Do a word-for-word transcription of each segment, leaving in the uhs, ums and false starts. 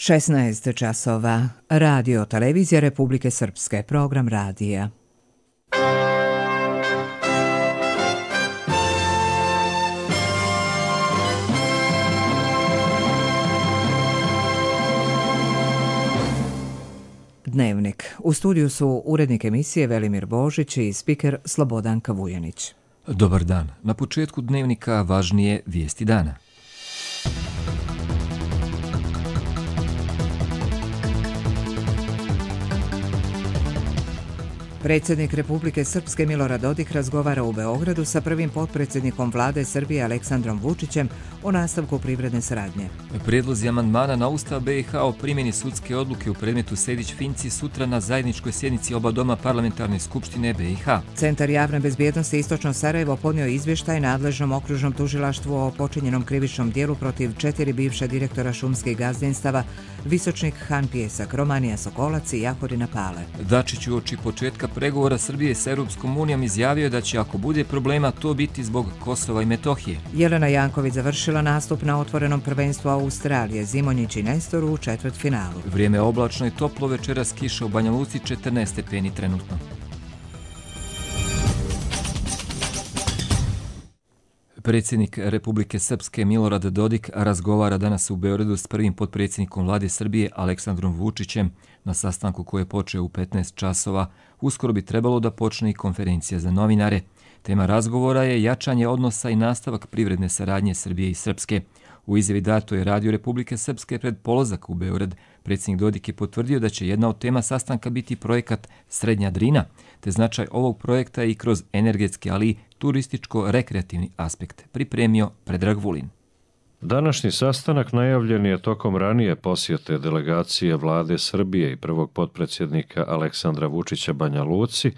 šesnaest časova. Radio Televizija Republike Srpske. Program radija. Dnevnik. U studiju su urednik emisije Velimir Božić i spiker Slobodanka Vujanić. Dobar dan. Na početku dnevnika važnije vijesti dana. Predsjednik Republike Srpske Milorad Dodik razgovara u Beogradu sa prvim potpredsjednikom vlade Srbije Aleksandrom Vučićem o nastavku privredne saradnje. Prijedlozi amandmana na Ustav B i H o primjeni sudske odluke u predmetu Sejdić-Finci sutra na zajedničkoj sjednici oba doma parlamentarne skupštine B i H. Centar javne bezbjednosti Istočno Sarajevo podnio izvještaj nadležnom okružnom tužilaštvu o počinjenom krivičnom dijelu protiv četiri bivša direktora šumskih gazdinstava Visočnik, Han Pjesak, Romanija Sokolac i Jahorina Pale. Dačić uoči početka pregovora Srbije s Europskom unijom izjavio je da će, ako bude problema, to biti zbog Kosova i Metohije. Jelena Janković završila nastup na otvorenom prvenstvu Australije, Zimonjić i Nestor u četvrtfinalu. Vrijeme oblačno i toplo, večeras kiša u Banja Luci, četrnaest stepeni trenutno. Predsjednik Republike Srpske Milorad Dodik razgovara danas u Beogradu s prvim potpredsjednikom vlade Srbije Aleksandrom Vučićem na sastanku koji je počeo u petnaest časova. Uskoro bi trebalo da počne i konferencija za novinare. Tema razgovora je jačanje odnosa i nastavak privredne saradnje Srbije i Srpske. U izjavi datoj je Radio Republike Srpske pred polazak u Beograd. Predsjednik Dodik je potvrdio da će jedna od tema sastanka biti projekat Srednja Drina, te značaj ovog projekta i kroz energetski, ali i turističko-rekreativni aspekt, pripremio Predrag Vulin. Današnji sastanak najavljen je tokom ranije posjete delegacije vlade Srbije i prvog potpredsjednika Aleksandra Vučića Banja Luci,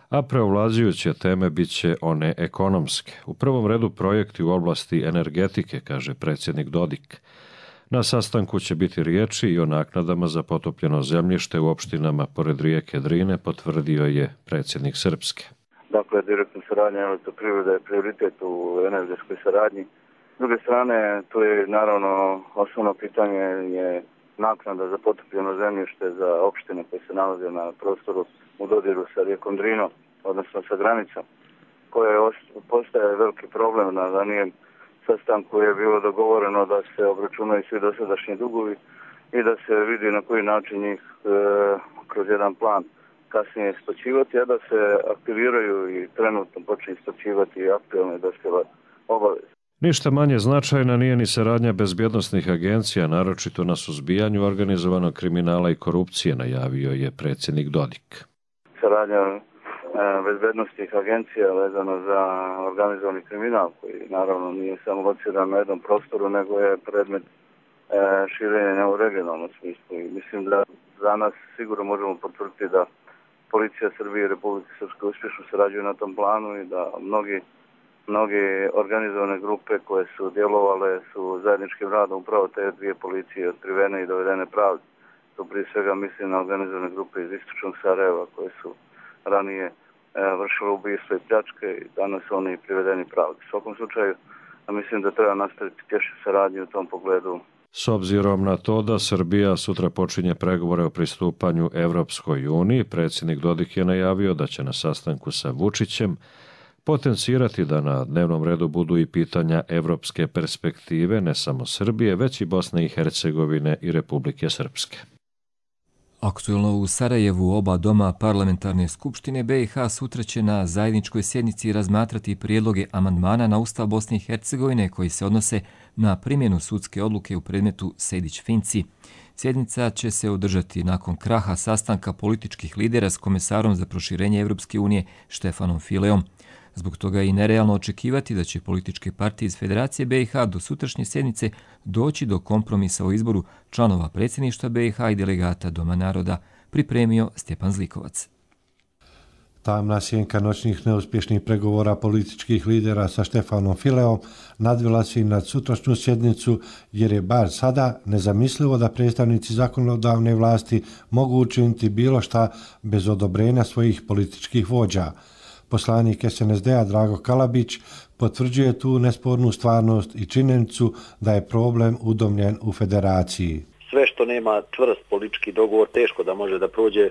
a preovlađujuće teme bit će one ekonomske. U prvom redu projekti u oblasti energetike, kaže predsjednik Dodik. Na sastanku će biti riječi i o naknadama za potopljeno zemljište u opštinama pored rijeke Drine, potvrdio je predsjednik Srpske. Dakle, direktna saradnja elektroprivrede je prioritet u energetskoj saradnji. S druge strane, to je naravno osnovno pitanje je naknada za potopljeno zemljište za opštine koje se nalaze na prostoru u dodiru sa rijekom Drinom, odnosno sa granicom, koje postaje veliki problem. Na ranijem sastanku je bilo dogovoreno da se obračunaju svi dosadašnji dugovi i da se vidi na koji način njih e, kroz jedan plan kasnije isplaćivati, a da se aktiviraju i trenutno počne isplaćivati aktualne dospjele obaveze. Ništa manje značajna nije ni saradnja bezbjednosnih agencija, naročito na suzbijanju organizovanog kriminala i korupcije, najavio je predsjednik Dodik. Saradnja e, bezbjednosnih agencija vezano za organizovani kriminal, koji naravno nije samo lociran na jednom prostoru, nego je predmet e, širenja u regionalnom smislu. I mislim da za nas sigurno možemo potvrditi da Policija Srbije i Republike Srpske uspješno sarađuju na tom planu i da mnogi Mnoge organizovane grupe koje su djelovale su zajedničkim radom upravo te dvije policije otkrivene i dovedene pravde. To prije svega mislim na organizovane grupe iz Istočnog Sarajeva koje su ranije e, vršile ubistvo i pljačke i danas su oni privedeni pravdi. U svakom slučaju mislim da treba nastaviti tješnju saradnju u tom pogledu. S obzirom na to da Srbija sutra počinje pregovore o pristupanju Evropskoj uniji, predsjednik Dodik je najavio da će na sastanku sa Vučićem potencirati da na dnevnom redu budu i pitanja evropske perspektive ne samo Srbije, već i Bosne i Hercegovine i Republike Srpske. Aktuelno u Sarajevu oba doma parlamentarne skupštine B i H sutra će na zajedničkoj sjednici razmatrati prijedloge amandmana na Ustav Bosne i Hercegovine koji se odnose na primjenu sudske odluke u predmetu Sejdić-Finci. Sjednica će se održati nakon kraha sastanka političkih lidera s komesarom za proširenje Evropske unije Štefanom Fileom. Zbog toga je i nerealno očekivati da će političke partije iz Federacije B i H do sutrašnje sjednice doći do kompromisa o izboru članova predsjedništva B i H i delegata Doma naroda, pripremio Stjepan Zlikovac. Tamna sjenka noćnih neuspješnih pregovora političkih lidera sa Štefanom Fileom nadvila se i nad sutrašnju sjednicu, jer je bar sada nezamislivo da predstavnici zakonodavne vlasti mogu učiniti bilo šta bez odobrenja svojih političkih vođa. Poslanik S N S D-a Drago Kalabić potvrđuje tu nespornu stvarnost i činjenicu da je problem udomljen u federaciji. sve što nema čvrst politički dogovor teško da može da prođe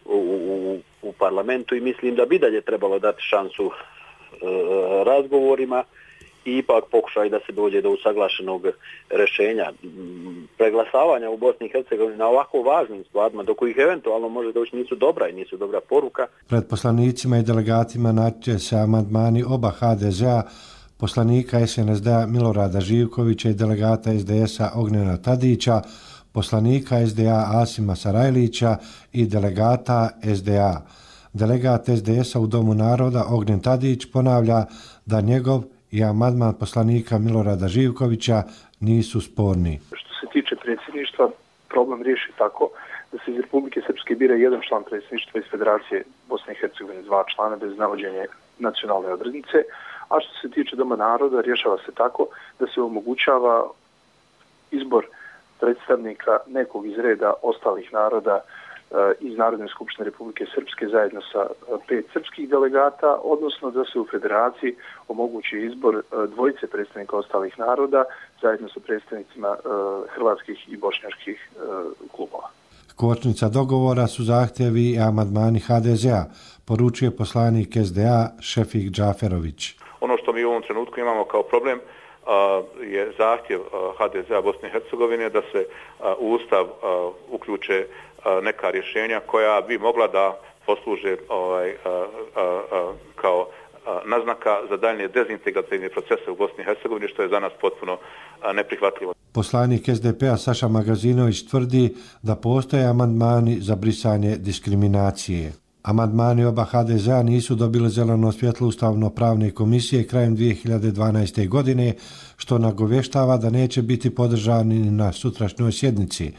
u, u, u parlamentu i mislim da bi dalje trebalo dati šansu e, razgovorima i ipak pokušaj da se dođe do usaglašenog rješenja. Preglasavanja u Bosni i Hercegovini na ovako važnim stvarima, do kojih eventualno može doći, nisu dobra i nisu dobra poruka. Pred poslanicima i delegatima naći se amandmani oba ha de zea, poslanika es en es de a Milorada Živkovića i delegata es de es a Ognjena Tadića, poslanika es de a Asima Sarajlića i delegata es de a. Delegat es de es a u Domu naroda Ognjen Tadić ponavlja da njegov i amandman poslanika Milorada Živkovića nisu sporni. Što se tiče predsjedništva, problem riješi tako da se iz Republike Srpske bira jedan član predsjedništva, iz Federacije Bosne i Hercegovine dva člana bez navođenja nacionalne odrednice, a što se tiče Doma naroda rješava se tako da se omogućava izbor predstavnika nekog iz reda ostalih naroda iz Narodne skupštine Republike Srpske zajedno sa pet srpskih delegata, odnosno da se u federaciji omogući izbor dvojice predstavnika ostalih naroda zajedno sa predstavnicima hrvatskih i bošnjačkih klubova. Kočnica dogovora su zahtjevi i amandmani ha de zea, poručuje poslanik es de a Šefik Džaferović. Ono što mi u ovom trenutku imamo kao problem je zahtjev ha de zea Bosne i Hercegovine da se u Ustav uključe neka rješenja koja bi mogla da posluže ovaj, a, a, a, kao a, naznaka za daljnje dezintegrativne procese u Bosni i Hercegovini, što je za nas potpuno a, neprihvatljivo. Poslanik es de pe a Saša Magazinović tvrdi da postoje amandmani za brisanje diskriminacije. Amandmani oba ha de zea nisu dobili zeleno svjetlo Ustavno-pravne komisije krajem dvije hiljade dvanaeste. godine, što nagovještava da neće biti podržani na sutrašnjoj sjednici.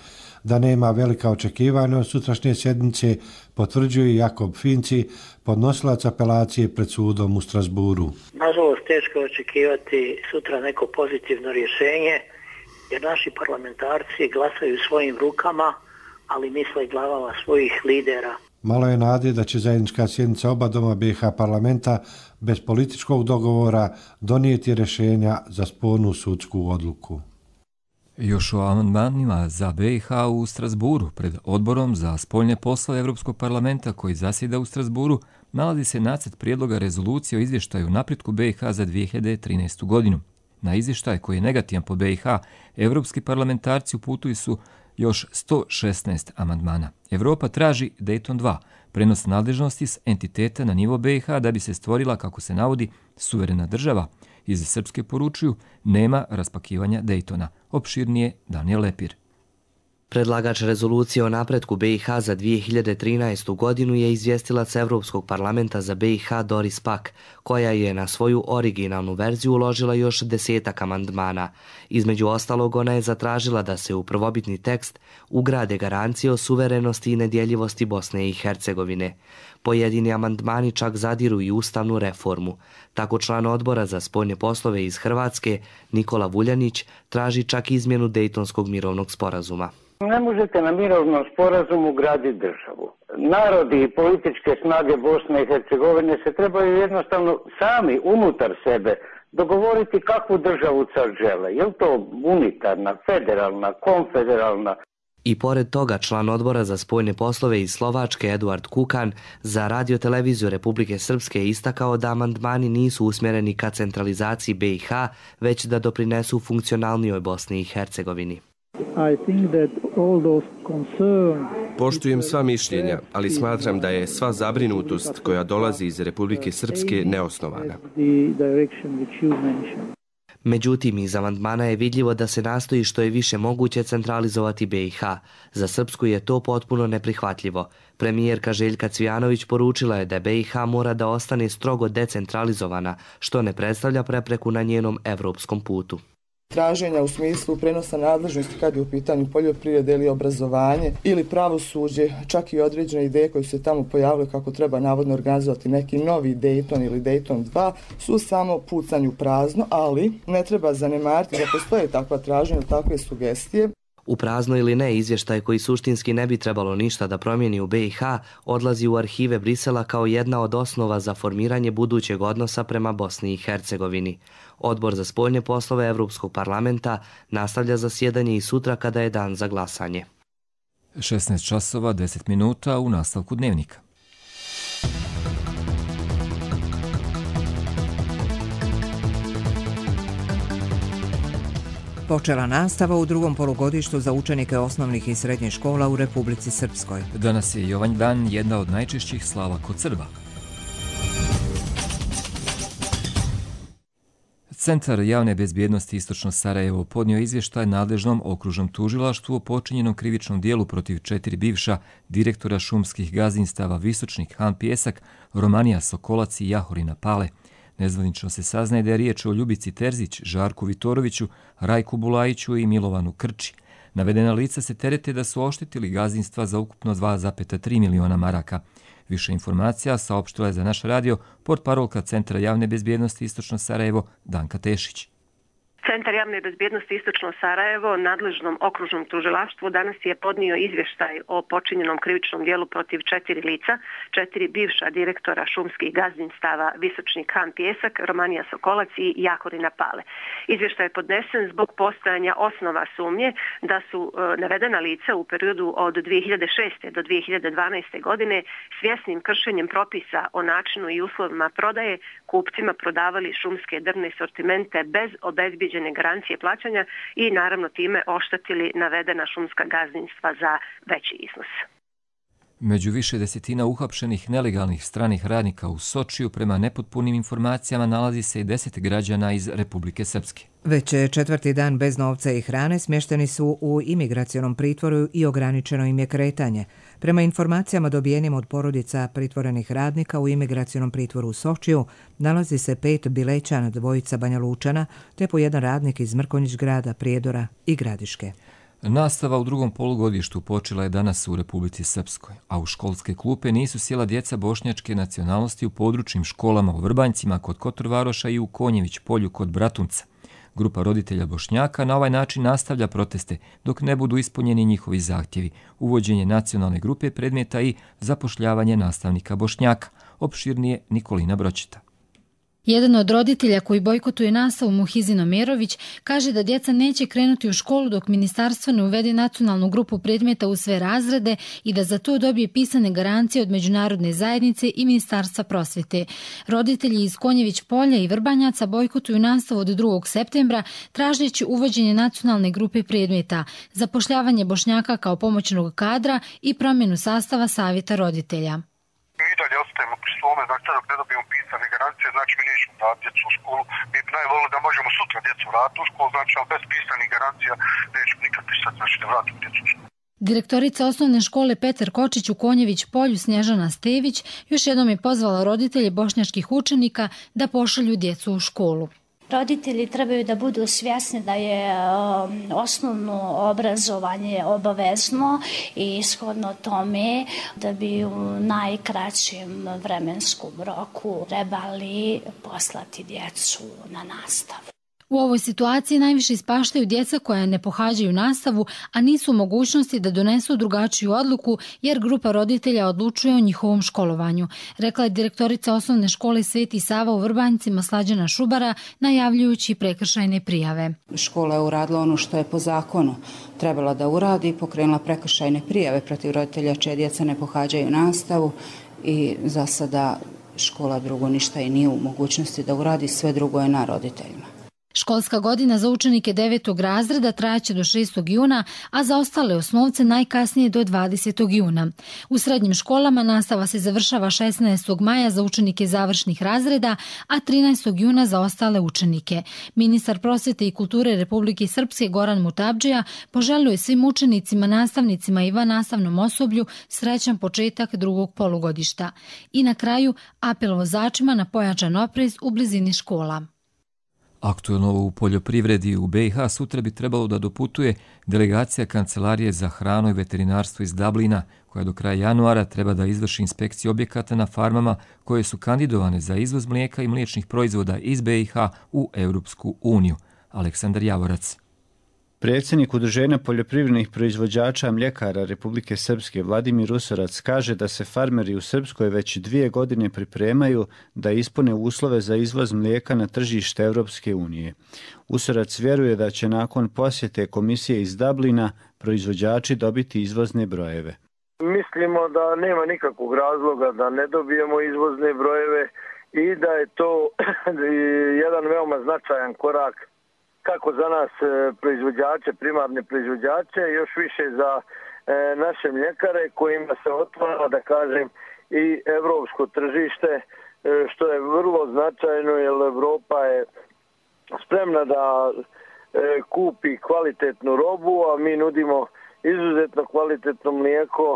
Da nema velika očekivanja od sutrašnje sjednice, potvrđuje Jakob Finci, podnosilac apelacije pred sudom u Strasburu. Nažalost, teško je očekivati sutra neko pozitivno rješenje, jer naši parlamentarci glasaju svojim rukama, ali misle glavama svojih lidera. Malo je nade da će zajednička sjednica oba doma be ha parlamenta bez političkog dogovora donijeti rješenja za spornu sudsku odluku. Još o amandmanima za be i ha u Strasburu pred odborom za spoljne poslove Europskog parlamenta koji zasjeda u Strasburu nalazi se nacrt prijedloga rezolucije o izvještaju o napretku be i ha za dvije hiljade trinaestu. godinu. Na izvještaj koji je negativan po be i ha, evropski parlamentarci uputili su još sto šesnaest amandmana. Evropa traži Dayton dva, prenos nadležnosti s entiteta na nivo be i ha da bi se stvorila, kako se navodi, suverena država. Iz Srpske poručuju, nema raspakivanja Daytona. Opširnije Daniel Lepir. Predlagač rezolucije o napretku be i ha za dvije hiljade trinaestu. godinu je izvjestilac Evropskog parlamenta za be i ha Doris Pack, koja je na svoju originalnu verziju uložila još desetak amandmana. Između ostalog, ona je zatražila da se u prvobitni tekst ugrade garancije o suverenosti i nedjeljivosti Bosne i Hercegovine. Pojedini amandmani čak zadiru i ustavnu reformu. Tako član odbora za spoljne poslove iz Hrvatske, Nikola Vuljanić, traži čak izmjenu Dejtonskog mirovnog sporazuma. Ne možete na mirovnom sporazumu graditi državu. Narodi i političke snage Bosne i Hercegovine se trebaju jednostavno sami unutar sebe dogovoriti kakvu državu sad žele. Je li to unitarna, federalna, konfederalna? I pored toga, član odbora za spoljne poslove iz Slovačke Eduard Kukan za radioteleviziju Republike Srpske je istakao da amandmani nisu usmjereni ka centralizaciji be i ha, već da doprinesu funkcionalnijoj Bosni i Hercegovini. Poštujem sva mišljenja, ali smatram da je sva zabrinutost koja dolazi iz Republike Srpske neosnovana. Međutim, iz amandmana je vidljivo da se nastoji što je više moguće centralizovati be i ha. Za Srpsku je to potpuno neprihvatljivo. Premijerka Željka Cvijanović poručila je da be i ha mora da ostane strogo decentralizovana, što ne predstavlja prepreku na njenom evropskom putu. Traženja u smislu prenosa nadležnosti kad je u pitanju poljoprivrede ili obrazovanje ili pravosuđe, čak i određene ideje koje su se tamo pojavile kako treba navodno organizovati neki novi Dayton ili Dayton dva, su samo pucanju prazno, ali ne treba zanemariti da postoje takva traženja, takve sugestije. U prazno ili ne, izvještaj koji suštinski ne bi trebalo ništa da promijeni u B i H odlazi u arhive Brisela kao jedna od osnova za formiranje budućeg odnosa prema Bosni i Hercegovini. Odbor za spoljne poslove Evropskog parlamenta nastavlja zasjedanje i sutra kada je dan za glasanje. šesnaest časova deset minuta u nastavku dnevnika. Počela nastava u drugom polugodištu za učenike osnovnih i srednjih škola u Republici Srpskoj. Danas je Jovanj dan, jedna od najčešćih slava kod Srba. Centar javne bezbjednosti Istočno Sarajevo podnio izvještaj nadležnom okružnom tužilaštvu o počinjenom krivičnom dijelu protiv četiri bivša direktora šumskih gazdinstava Visočnik, Han Pjesak, Romanija Sokolac i Jahorina Pale. Nezvanično se saznaje da je riječ o Ljubici Terzić, Žarku Vitoroviću, Rajku Bulajiću i Milovanu Krči. Navedena lica se terete da su oštetili gazdinstva za ukupno dva zarez tri miliona maraka. Više informacija saopštila je za naš radio portparolka Centra javne bezbjednosti Istočno Sarajevo Danka Tešić. Centar javne bezbjednosti Istočno Sarajevo nadležnom okružnom tužilaštvu danas je podnio izvještaj o počinjenom krivičnom dijelu protiv četiri lica, četiri bivša direktora šumskih gazdinstava Visočnik, Han Pjesak, Romanija Sokolac i Jahorina Pale. Izvještaj je podnesen zbog postojanja osnova sumnje da su e, navedena lica u periodu od dvije hiljade šeste do dvije hiljade dvanaeste godine svjesnim kršenjem propisa o načinu i uslovima prodaje kupcima prodavali šumske drvne sortimente bez obezbijeđenja garancije plaćanja i naravno time oštetili navedena šumska gazdinstva za veći iznos. Među više desetina uhapšenih nelegalnih stranih radnika u Sočiju prema nepotpunim informacijama nalazi se i deset građana iz Republike Srpske. Već četvrti dan bez novca i hrane smješteni su u imigracionom pritvoru i ograničeno im je kretanje. Prema informacijama dobijenim od porodica pritvorenih radnika u imigracionom pritvoru u Sočiju nalazi se pet Bilećana, dvojica Banja Lučana, te po jedan radnik iz Mrkonjić grada, Prijedora i Gradiške. Nastava u drugom polugodištu počela je danas u Republici Srpskoj, a u školske klupe nisu sjela djeca bošnjačke nacionalnosti u područnim školama u Vrbanjcima kod Kotorvaroša i u Konjević polju kod Bratunca. Grupa roditelja Bošnjaka na ovaj način nastavlja proteste dok ne budu ispunjeni njihovi zahtjevi, uvođenje nacionalne grupe predmeta i zapošljavanje nastavnika Bošnjaka. Opširnije Nikolina Bročeta. Jedan od roditelja koji bojkotuje nastavu, Muhizin Omerović, kaže da djeca neće krenuti u školu dok ministarstvo ne uvede nacionalnu grupu predmeta u sve razrede i da za to dobije pisane garancije od međunarodne zajednice i ministarstva prosvjete. Roditelji iz Konjević polja i Vrbanjaca bojkotuju nastavu od drugog septembra, tražeći uvođenje nacionalne grupe predmeta, zapošljavanje Bošnjaka kao pomoćnog kadra i promjenu sastava savjeta roditelja. Mi dalje ostajemo pri svome, znači dok ne dobijemo pisane garancije, znači mi nećemo dati djecu u školu. Mi bi najvolili da možemo sutra djecu vratiti u školu, znači ali bez pisanih garancija nećemo nikad pisati, znači da vratimo djecu u školu. Direktorica osnovne škole Petar Kočić u Konjević polju Snježana Stević još jednom je pozvala roditelje bošnjačkih učenika da pošalju djecu u školu. Roditelji trebaju da budu svjesni da je um, osnovno obrazovanje obavezno i shodno tome da bi u najkraćem vremenskom roku trebali poslati djecu na nastavu. U ovoj situaciji najviše ispaštaju djeca koja ne pohađaju nastavu, a nisu u mogućnosti da donesu drugačiju odluku jer grupa roditelja odlučuje o njihovom školovanju, rekla je direktorica osnovne škole Sveti Sava u Vrbanjcima Slađana Šubara, najavljujući prekršajne prijave. Škola je uradila ono što je po zakonu trebala da uradi i pokrenula prekršajne prijave protiv roditelja čije djeca ne pohađaju nastavu i za sada škola drugo ništa i nije u mogućnosti da uradi, sve drugo je na roditeljima. Školska godina za učenike devetog razreda trajaće do šestog juna, a za ostale osnovce najkasnije do dvadesetog juna. U srednjim školama nastava se završava šesnaestog maja za učenike završnih razreda, a trinaestog juna za ostale učenike. Ministar prosvjete i kulture Republike Srpske Goran Mutabdžija poželio je svim učenicima, nastavnicima i vannastavnom osoblju srećan početak drugog polugodišta. I na kraju apel vozačima na pojačan oprez u blizini škola. Aktuelno u poljoprivredi u B i H sutra bi trebalo da doputuje delegacija Kancelarije za hranu i veterinarstvo iz Dublina, koja do kraja januara treba da izvrši inspekciju objekata na farmama koje su kandidovane za izvoz mlijeka i mliječnih proizvoda iz B i H u Europsku uniju. Aleksandar Javorac. Predsjednik Udruženja poljoprivrednih proizvođača mljekara Republike Srpske Vladimir Usorac kaže da se farmeri u Srpskoj već dvije godine pripremaju da ispune uslove za izvoz mlijeka na tržište Europske unije. Usorac vjeruje da će nakon posjete komisije iz Dublina proizvođači dobiti izvozne brojeve. Mislimo da nema nikakvog razloga da ne dobijemo izvozne brojeve i da je to jedan veoma značajan korak kako za nas proizvođače, primarne proizvođače, još više za naše mljekare kojima se otvara, da kažem, i evropsko tržište, što je vrlo značajno jer Evropa je spremna da kupi kvalitetnu robu, a mi nudimo izuzetno kvalitetno mlijeko.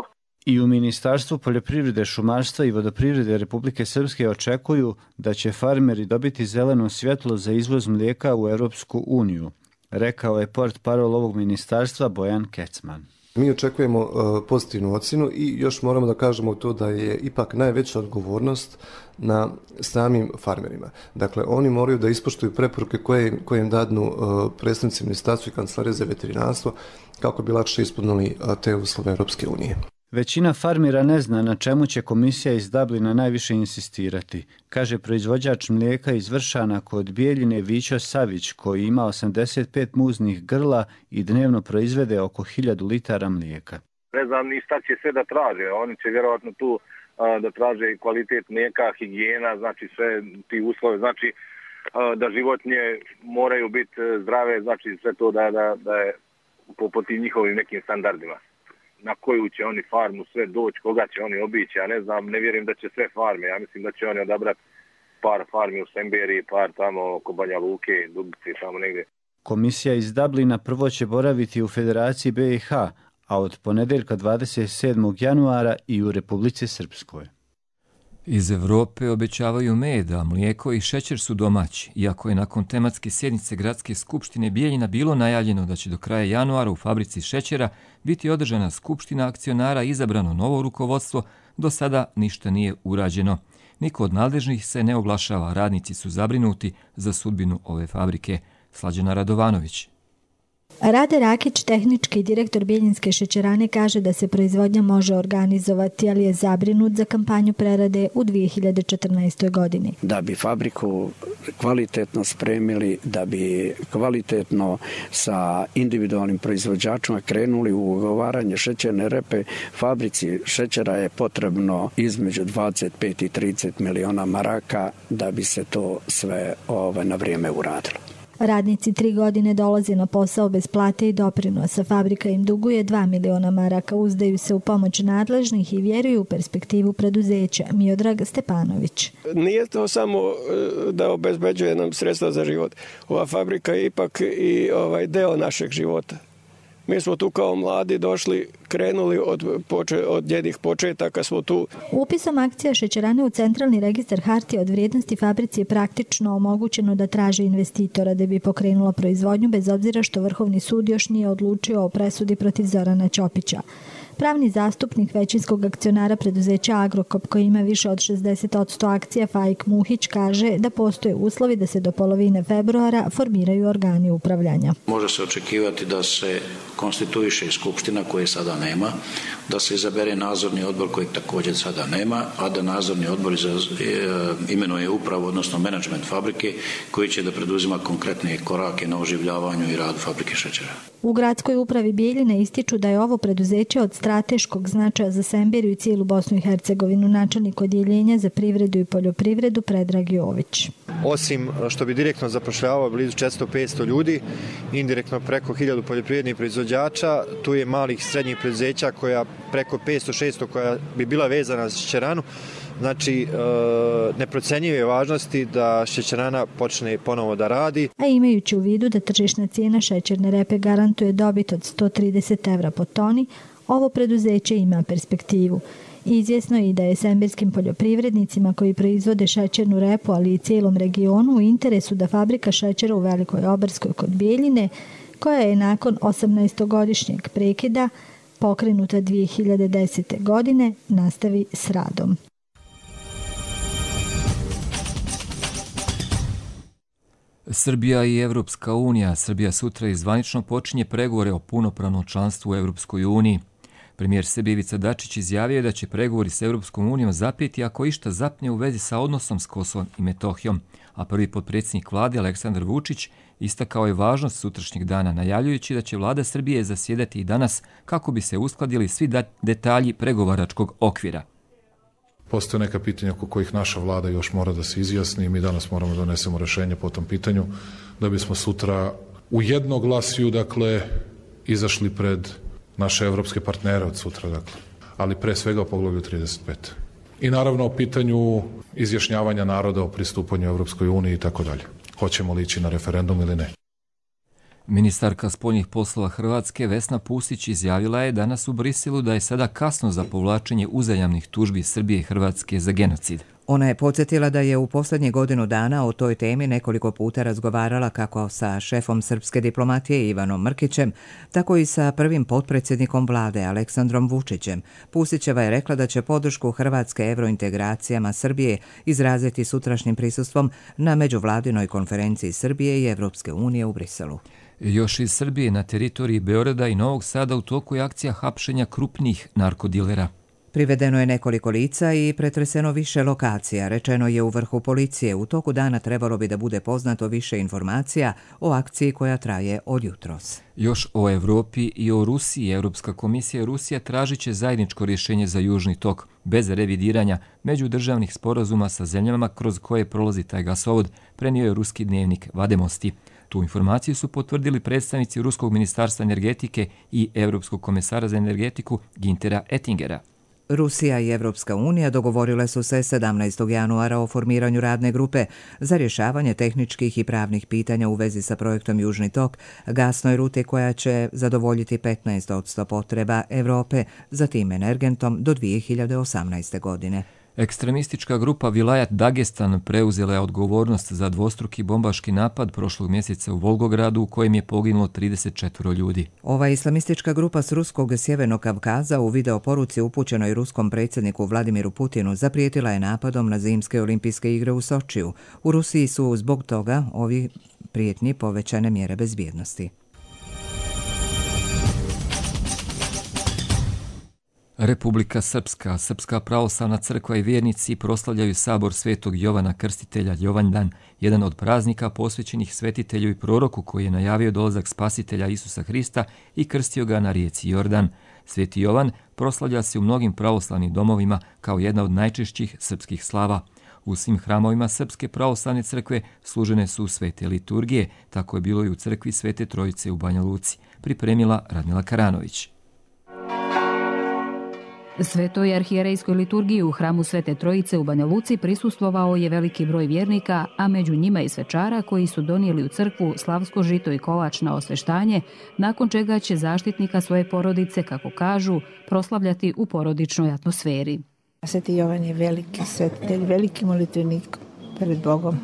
I u Ministarstvu poljoprivrede, šumarstva i vodoprivrede Republike Srpske očekuju da će farmeri dobiti zeleno svjetlo za izvoz mlijeka u Europsku uniju, rekao je portparol ovog ministarstva Bojan Kecman. Mi očekujemo uh, pozitivnu ocjenu i još moramo da kažemo to da je ipak najveća odgovornost na samim farmerima. Dakle, oni moraju da ispoštuju preporuke koje, koje im dadnu uh, predstavnici ministarstva i kancelarije za veterinarstvo kako bi lakše ispunili uh, te uslove Europske unije. Većina farmera ne zna na čemu će komisija iz Dublina najviše insistirati, kaže proizvođač mlijeka iz Vršana kod Bijeljine Vićo Savić, koji ima osamdeset pet muznih grla i dnevno proizvede oko hiljadu litara mlijeka. Ne znam ni šta će sve da traže, oni će vjerojatno tu a, da traže kvalitet mlijeka, higijena, znači sve ti uslove, znači a, da životinje moraju biti zdrave, znači sve to da, da, da je po, po tim njihovim nekim standardima. Na koju će oni farmu sve doći, koga će oni obići, ja ne znam, ne vjerujem da će sve farme, ja mislim da će oni odabrati par farmi u Semberiji, par tamo oko Banja Luke, Dubice, tamo negdje. Komisija iz Dublina prvo će boraviti u Federaciji B i H, a od ponedjeljka dvadeset sedmog januara i u Republici Srpskoj. Iz Evrope obećavaju med, a mlijeko i šećer su domaći, iako je nakon tematske sjednice Gradske skupštine Bijeljina bilo najavljeno da će do kraja januara u fabrici šećera biti održana skupština akcionara i izabrano novo rukovodstvo, do sada ništa nije urađeno. Niko od nadležnih se ne oglašava, radnici su zabrinuti za sudbinu ove fabrike. Slađana Radovanović. Rade Rakić, tehnički direktor Bijeljinske šećerane, kaže da se proizvodnja može organizovati, ali je zabrinut za kampanju prerade u dvije hiljade četrnaestoj. godini. Da bi fabriku kvalitetno spremili, da bi kvalitetno sa individualnim proizvođačima krenuli u ugovaranje šećerne repe, fabrici šećera je potrebno između dvadeset pet i trideset miliona maraka da bi se to sve ove, na vrijeme uradilo. Radnici tri godine dolaze na posao bez plate i doprinosa. Fabrika im duguje dva miliona maraka. Uzdaju se u pomoć nadležnih i vjeruju u perspektivu preduzeća. Miodrag Stepanović. Nije to samo da obezbeđuje nam sredstva za život. Ova fabrika je ipak i ovaj deo našeg života. Mi smo tu kao mladi došli, krenuli od, poče, od njenih početaka, smo tu. Upisom akcija šećerane u centralni registar hartija od vrijednosti fabrici je praktično omogućeno da traže investitora da bi pokrenula proizvodnju, bez obzira što Vrhovni sud još nije odlučio o presudi protiv Zorana Ćopića. Pravni zastupnik većinskog akcionara preduzeća Agrokop, koji ima više od šezdeset posto akcija, Faik Muhić, kaže da postoje uslovi da se do polovine februara formiraju organi upravljanja. Može se očekivati da se konstituiše skupština koje sada nema, da se izabere nadzorni odbor kojeg također sada nema, a da nadzorni odbor imenuje upravu, odnosno menadžment fabrike, koji će da preduzima konkretne korake na oživljavanju i radu fabrike šećera. U gradskoj upravi Bijeljine ističu da je ovo preduzeće od strateškog značaja za Semberiju i cijelu Bosnu i Hercegovinu. Načelnik odjeljenja za privredu i poljoprivredu Predrag Jović. Osim što bi direktno zapošljavao blizu četiristo do petsto ljudi, indirektno preko hiljadu poljoprivrednih proizvođača, tu je malih i srednjih preduzeća koja preko petsto do šesto koja bi bila vezana za šećeranu. Znači, neprocenjive važnosti da šećerana počne ponovo da radi. A imajući u vidu da tržišna cijena šećerne repe garantuje dobit od sto trideset evra po toni, ovo preduzeće ima perspektivu. Izvjesno je i da je semberskim poljoprivrednicima koji proizvode šećernu repu, ali i cijelom regionu, u interesu da fabrika šećera u Velikoj Obarskoj kod Bijeljine, koja je nakon osamnaestogodišnjeg prekida pokrenuta dvije hiljade desete. godine, nastavi s radom. Srbija i Evropska unija. Srbija sutra izvanično počinje pregovore o punopravnom članstvu u Evropskoj uniji. Premijer Srbije Ivica Dačić izjavio je da će pregovori s Evropskom unijom zapeti ako išta zapne u vezi sa odnosom s Kosovom i Metohijom, a prvi potpredsjednik vlade Aleksandar Vučić istakao je važnost sutrašnjeg dana, najavljujući da će vlada Srbije zasjedati i danas kako bi se uskladili svi detalji pregovaračkog okvira. Postoje neka pitanja oko kojih naša vlada još mora da se izjasni i mi danas moramo da donesemo rešenje po tom pitanju da bismo sutra u jednoglasju, dakle, izašli pred naše evropske partnere od sutra, dakle, ali pre svega o poglavlju trideset pet. I naravno o pitanju izjašnjavanja naroda o pristupanju Evropskoj uniji i tako dalje. Hoćemo li ići na referendum ili ne? Ministarka spoljnih poslova Hrvatske Vesna Pusić izjavila je danas u Briselu da je sada kasno za povlačenje uzajamnih tužbi Srbije i Hrvatske za genocid. Ona je podsjetila da je u posljednje godinu dana o toj temi nekoliko puta razgovarala kako sa šefom srpske diplomatije Ivanom Mrkićem, tako i sa prvim potpredsjednikom vlade Aleksandrom Vučićem. Pusićeva je rekla da će podršku Hrvatske evrointegracijama Srbije izraziti sutrašnjim prisustvom na međuvladinoj konferenciji Srbije i Evropske unije u Briselu. Još iz Srbije na teritoriji Beograda i Novog Sada u toku je akcija hapšenja krupnih narkodilera. Privedeno je nekoliko lica i pretreseno više lokacija, rečeno je u vrhu policije. U toku dana trebalo bi da bude poznato više informacija o akciji koja traje od jutros. Još o Evropi i o Rusiji. Europska komisija Rusija tražit će zajedničko rješenje za Južni tok, bez revidiranja međudržavnih sporazuma sa zemljama kroz koje prolazi taj gasovod, prenio je ruski dnevnik Vademosti. Tu informaciju su potvrdili predstavnici Ruskog ministarstva energetike i Europskog komesara za energetiku Gintera Ettingera. Rusija i Evropska unija dogovorile su se sedamnaestog januara o formiranju radne grupe za rješavanje tehničkih i pravnih pitanja u vezi sa projektom Južni tok, gasnoj ruti koja će zadovoljiti petnaest posto potreba Evrope za tim energentom do dvije hiljade osamnaeste. godine. Ekstremistička grupa Vilayat Dagestan preuzela je odgovornost za dvostruki bombaški napad prošlog mjeseca u Volgogradu u kojem je poginulo trideset četiri ljudi. Ova islamistička grupa s ruskog Sjevernog Kavkaza u videoporuci upućenoj ruskom predsjedniku Vladimiru Putinu zaprijetila je napadom na zimske olimpijske igre u Sočiju. U Rusiji su zbog toga ovi prijetnji povećane mjere bezbjednosti. Republika Srpska, Srpska pravoslavna crkva i vjernici proslavljaju sabor Svetog Jovana Krstitelja Jovandan, jedan od praznika posvećenih svetitelju i proroku koji je najavio dolazak spasitelja Isusa Hrista i krstio ga na rijeci Jordan. Sveti Jovan proslavlja se u mnogim pravoslavnim domovima kao jedna od najčešćih srpskih slava. U svim hramovima Srpske pravoslavne crkve služene su svete liturgije, tako je bilo i u crkvi Svete Trojice u Banja Luci, pripremila Radmila Karanović. Svetoj arhijerejskoj liturgiji u hramu Svete Trojice u Banja Luci prisustvovao je veliki broj vjernika, a među njima i svečara koji su donijeli u crkvu slavsko žito i kolač na osveštanje, nakon čega će zaštitnika svoje porodice, kako kažu, proslavljati u porodičnoj atmosferi. Sveti Jovan je veliki svetitelj, veliki molitvenik pred Bogom.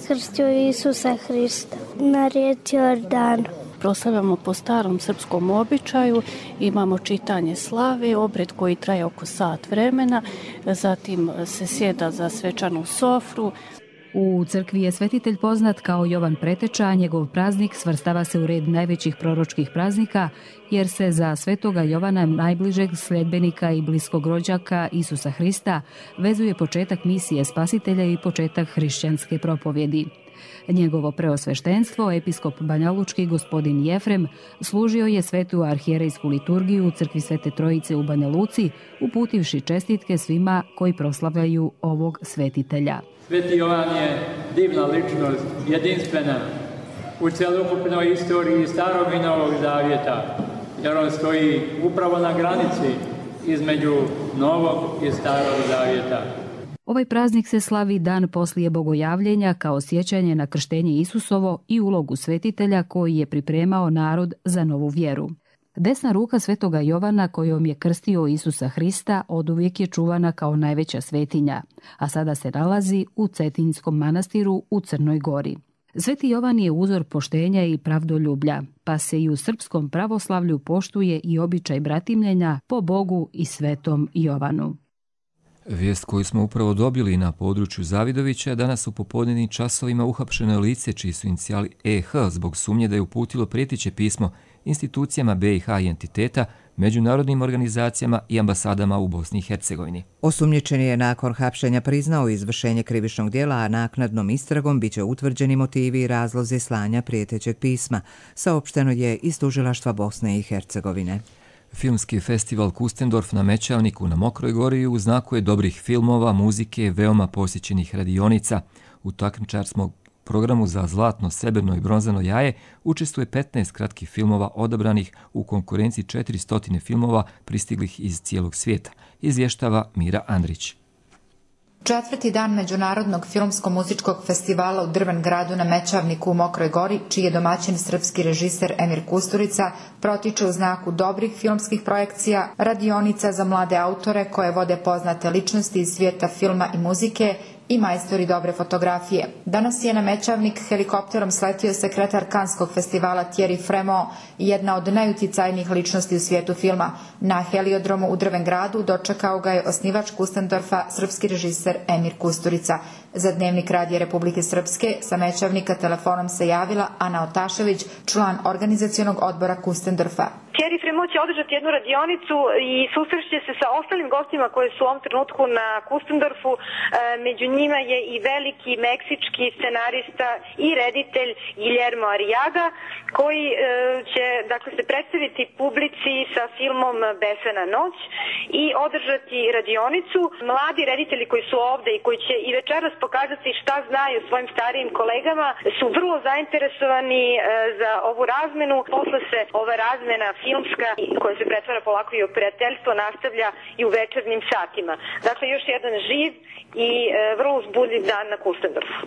Krstio Isusa Hrista na rijeci Jordan. Proslavljamo po starom srpskom običaju, imamo čitanje slave, obred koji traje oko sat vremena, zatim se sjeda za svečanu sofru. U crkvi je svetitelj poznat kao Jovan Preteča, a njegov praznik svrstava se u red najvećih proročkih praznika, jer se za svetoga Jovana, najbližeg sljedbenika i bliskog rođaka Isusa Hrista, vezuje početak misije spasitelja i početak hrišćanske propovjedi. Njegovo preosveštenstvo, episkop banjalučki gospodin Jefrem, služio je svetu arhijerejsku liturgiju u crkvi Svete Trojice u Banja Luci, uputivši čestitke svima koji proslavljaju ovog svetitelja. Sveti Jovan je divna ličnost, jedinstvena u celokupnoj istoriji Starog i Novog Zavjeta, jer on stoji upravo na granici između Novog i Starog Zavjeta. Ovaj praznik se slavi dan poslije bogojavljenja kao sjećanje na krštenje Isusovo i ulogu svetitelja koji je pripremao narod za novu vjeru. Desna ruka svetoga Jovana kojom je krstio Isusa Hrista oduvijek je čuvana kao najveća svetinja, a sada se nalazi u Cetinjskom manastiru u Crnoj Gori. Sveti Jovan je uzor poštenja i pravdoljublja, pa se i u srpskom pravoslavlju poštuje i običaj bratimljenja po Bogu i svetom Jovanu. Vijest koju smo upravo dobili na području Zavidovića, danas u popodnevnim časovima uhapšeno lice čiji su inicijali E H zbog sumnje da je uputilo prijeteće pismo institucijama B i H i entiteta, međunarodnim organizacijama i ambasadama u Bosni i Hercegovini. Osumnjičeni je nakon hapšenja priznao izvršenje krivičnog djela, a naknadnom istragom biće utvrđeni motivi i razlozi slanja prijetećeg pisma, saopšteno je iz tužilaštva Bosne i Hercegovine. Filmski festival Kustendorf na Mećavniku na Mokroj Gori u znaku je dobrih filmova, muzike, veoma posjećenih radionica. U takmičarskom programu za zlatno, srebrno i bronzano jaje učestvuje petnaest kratkih filmova odabranih u konkurenciji četiristo filmova pristiglih iz cijelog svijeta, izvještava Mira Andrić. Četvrti dan Međunarodnog filmsko-muzičkog festivala u Drven gradu na Mećavniku u Mokroj Gori, čiji je domaćin srpski režiser Emir Kusturica, protiče u znaku dobrih filmskih projekcija, radionica za mlade autore koje vode poznate ličnosti iz svijeta filma i muzike i majstori dobre fotografije. Danas je na Mećavnik helikopterom sletio sekretar Kanskog festivala Thierry Fremont, jedna od najuticajnijih ličnosti u svijetu filma. Na heliodromu u Drven gradu dočekao ga je osnivač Kustendorfa, srpski režiser Emir Kusturica. Za Dnevnik Radija Republike Srpske sa Mećavnika telefonom se javila Ana Otašević, član organizacionog odbora Kustendorfa. Thierry Fremont će održati jednu radionicu i susreće se sa ostalim gostima koji su u ovom trenutku na Kustendorfu. E, među njima je i veliki meksički scenarista i reditelj Guillermo Arriaga, koji e, će dakle, se predstaviti publici sa filmom Besena noć i održati radionicu. Mladi reditelji koji su ovde i koji će i večeras pokazati šta znaju svojim starijim kolegama su vrlo zainteresovani e, za ovu razmenu. Posle se ova razmena filmska koja se pretvara polako i u prijateljstvo nastavlja i u večernjim satima. Dakle, još jedan živ i e, vrlo uzbudljiv dan na Kustendorfu.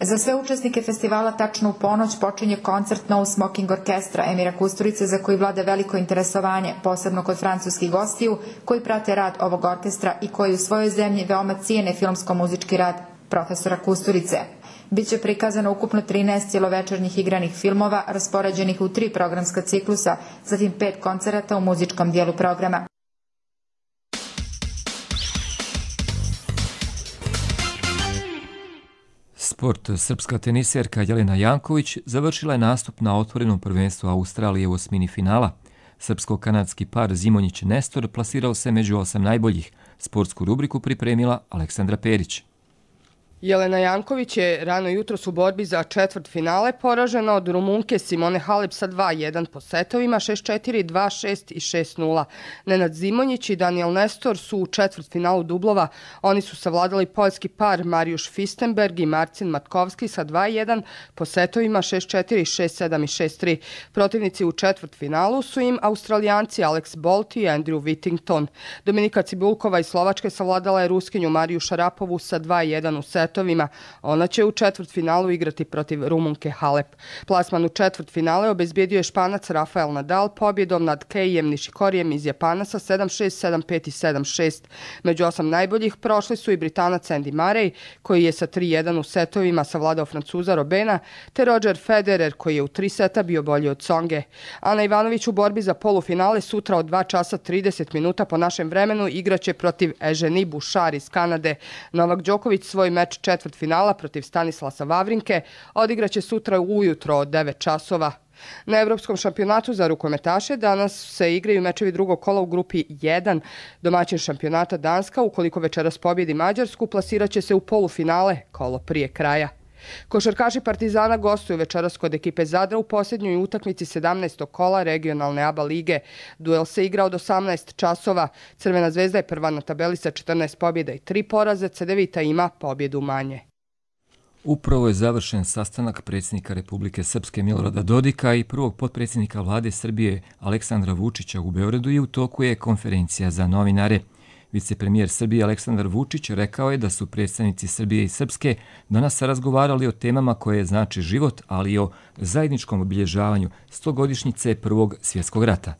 Za sve učesnike festivala tačno u ponoć počinje koncert No Smoking Orkestra Emira Kusturice, za koji vlada veliko interesovanje, posebno kod francuskih gostiju koji prate rad ovog orkestra i koji u svojoj zemlji veoma cijene filmsko-muzički rad profesora Kusturice. Biće prikazano ukupno trinaest cjelovečernjih igranih filmova raspoređenih u tri programska ciklusa, zatim pet koncerata u muzičkom dijelu programa. Sport. Srpska teniserka Jelena Janković završila je nastup na otvorenom prvenstvu Australije u osmini finala. Srpsko-kanadski par Zimonjić-Nestor plasirao se među osam najboljih. Sportsku rubriku pripremila Aleksandra Perić. Jelena Janković je rano jutros u borbi za četvrt finale poražena od Rumunke Simone Halep sa dva jedan po setovima šest četiri, dva šest i šest nula. Nenad Zimonjić i Daniel Nestor su u četvrt finalu dublova. Oni su savladali poljski par Marijuš Fistenberg i Marcin Matkovski sa dva jedan po setovima šest četiri, šest sedam i šest tri. Protivnici u četvrt finalu su im Australijanci Alex Bolt i Andrew Whittington. Dominika Cibulkova iz Slovačke savladala je Ruskinju Mariju Šarapovu sa dva jedan u setovima. Ona će u četvrtfinalu igrati protiv Rumunke Halep. Plasman u četvrtfinale obezbijedio je Španac Rafael Nadal pobjedom nad Keijem Nishikorijem iz Japana sa sedam šest, sedam pet i sedam šest. Među osam najboljih prošli su i Britanac Andy Murray, koji je sa tri jedan u setovima savladao Francuza Robena, te Roger Federer, koji je u tri seta bio bolji od Tsonge. Ana Ivanović u borbi za polufinale sutra od dva časa trideset minuta po našem vremenu igraće protiv Eugenie Bouchard iz Kanade. Novak Đoković svoj meč četvrtfinala protiv Stanislasa Vavrinke odigraće sutra ujutro od devet časova. Na Evropskom šampionatu za rukometaše danas se igraju mečevi drugog kola u grupi jedan. Domaćin šampionata Danska, ukoliko večeras pobjedi Mađarsku, plasirat će se u polufinale kolo prije kraja. Košarkaši Partizana gostuju večeras kod ekipe Zadra u posljednjoj utakmici sedamnaestog kola regionalne A B A lige. Duel se igra od osamnaest časova. Crvena zvezda je prva na tabeli sa četrnaest pobjeda i tri poraze, Cedevita ima pobjedu manje. Upravo je završen sastanak predsjednika Republike Srpske Milorada Dodika i prvog potpredsjednika vlade Srbije Aleksandra Vučića u Beogradu i u toku je konferencija za novinare. Vicepremijer Srbije Aleksandar Vučić rekao je da su predstavnici Srbije i Srpske danas razgovarali o temama koje znači život, ali i o zajedničkom obilježavanju stogodišnjice Prvog svjetskog rata.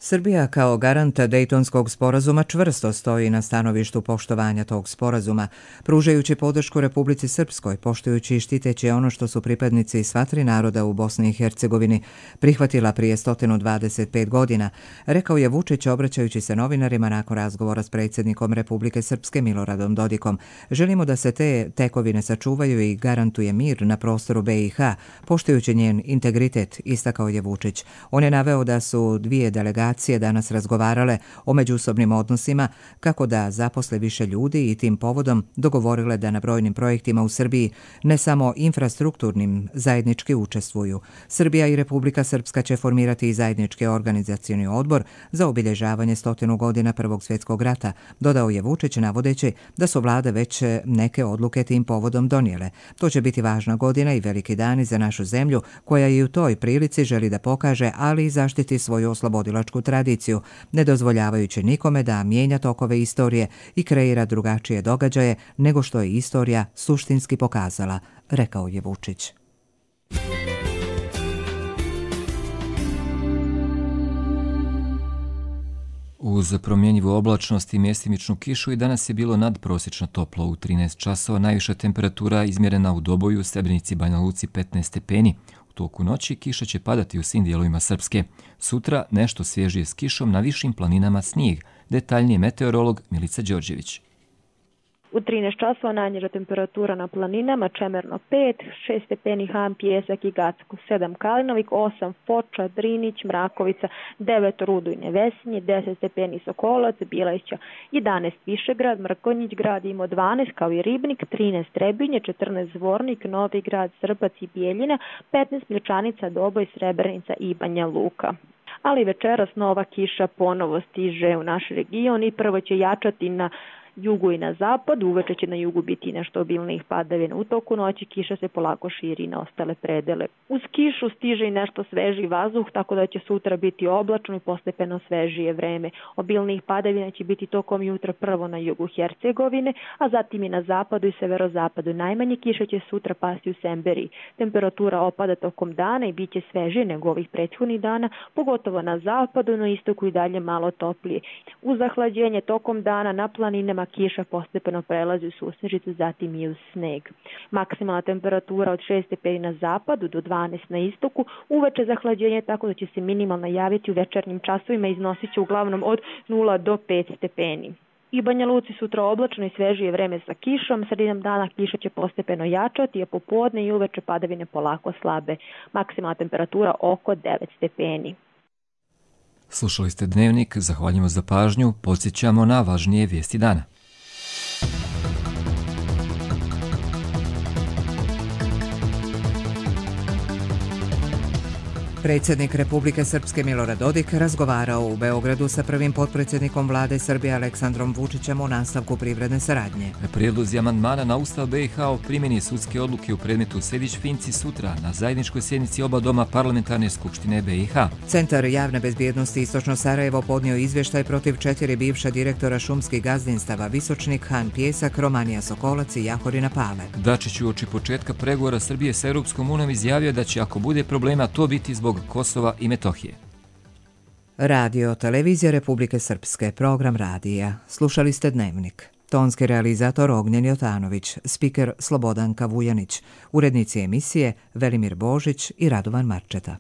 Srbija kao garanta Dejtonskog sporazuma čvrsto stoji na stanovištu poštovanja tog sporazuma, pružajući podršku Republici Srpskoj, poštujući i štiteći ono što su pripadnici sva tri naroda u Bosni i Hercegovini prihvatila prije sto dvadeset pet godina, rekao je Vučić obraćajući se novinarima nakon razgovora s predsjednikom Republike Srpske Miloradom Dodikom. Želimo da se te tekovine sačuvaju i garantuje mir na prostoru B i H, poštujući njen integritet, istakao je Vučić. On je naveo da su dvije delegacije danas razgovarale o međusobnim odnosima, kako da zaposle više ljudi i tim povodom dogovorile da na brojnim projektima u Srbiji, ne samo infrastrukturnim, zajednički učestvuju. Srbija i Republika Srpska će formirati i zajednički organizacioni odbor za obilježavanje stotinu godina Prvog svjetskog rata, dodao je Vučić navodeći da su vlade već neke odluke tim povodom donijele. To će biti važna godina i veliki dani za našu zemlju, koja i u toj prilici želi da pokaže, ali i zaštiti svoju oslobodilačku tradiciju, ne dozvoljavajući nikome da mijenja tokove istorije i kreira drugačije događaje nego što je istorija suštinski pokazala, rekao je Vučić. Uz promjenjivu oblačnost i mjestimičnu kišu i danas je bilo nadprosječno toplo. U trinaest časova najviša temperatura izmjerena u Doboju, Srebrenici, Banja Luci petnaest stepeni. U toku noći kiša će padati u svim dijelovima Srpske. Sutra nešto svježije s kišom, na višim planinama snijeg. Detaljnije meteorolog Milica Đorđević. U trinaest časova najniža temperatura na planinama, Čemerno pet, šest stepeni Han, Pjesak i Gacko, sedam Kalinovik, osam Foča, Drinić, Mrakovica, devet Rudo i Nevesinje, deset stepeni Sokolac, Bileća, jedanaest Višegrad, Mrkonjić grad ima dvanaest kao i Ribnik, trinaest Trebinje, četrnaest Zvornik, Novi grad, Srbac i Bijeljina, petnaest Mlječanica, Doboj, Srebrenica i Banja Luka. Ali večeras nova kiša ponovo stiže u naš region i prvo će jačati na jugu i na zapadu, uveče će na jugu biti nešto obilnijih padavina. U toku noći kiša se polako širi na ostale predele. Uz kišu stiže i nešto sveži vazduh, tako da će sutra biti oblačno i postepeno svežije vreme. Obilnijih padavina će biti tokom jutra prvo na jugu Hercegovine, a zatim i na zapadu i severozapadu. Najmanje kiše će sutra pasti u Semberiji. Temperatura opada tokom dana i bit će svežije nego ovih prethodnih dana, pogotovo na zapadu, no istoku i dalje malo toplije. Uz zahlađenje tokom dana na planinama kiša postepeno prelazi u susnežicu, zatim i u sneg. Maksimalna temperatura od šest stepeni na zapadu do dvanaest na istoku, uveče zahlađenje tako da će se minimalno javiti u večernjim časovima i iznosit će uglavnom od nula do pet stepeni. I Banja Luci sutra oblačno i svežije vreme sa kišom, sredinom dana kiša će postepeno jačati, a popodne i uveče padavine polako slabe. Maksimalna temperatura oko devet stepeni. Slušali ste Dnevnik, zahvaljujemo za pažnju, podsjećamo na važnije vijesti dana. Predsjednik Republike Srpske Milorad Dodik razgovarao u Beogradu sa prvim potpredsjednikom vlade Srbije Aleksandrom Vučićem o nastavku privredne saradnje. Prijedlozi amandmana na Ustav B i H o primjeni sudske odluke u predmetu Sejdić-Finci sutra na zajedničkoj sjednici oba doma Parlamentarne skupštine B i H. Centar javne bezbjednosti Istočno Sarajevo podnio izvještaj protiv četiri bivša direktora šumskih gazdinstava Visočnik, Han Pjesak, Romanija Sokolac i Jahorina Pale. Dačić uoči početka pregovora Srbije sa Europskom unijom izjavio da će ako bude problema to biti zbog Kosova i Metohije. Radio Televizija Republike Srpske, program radija. Slušali ste Dnevnik. Tonski realizator Ognjen Jotanović, spiker Slobodanka Vujanić, urednici emisije Velimir Božić i Radovan Marčeta.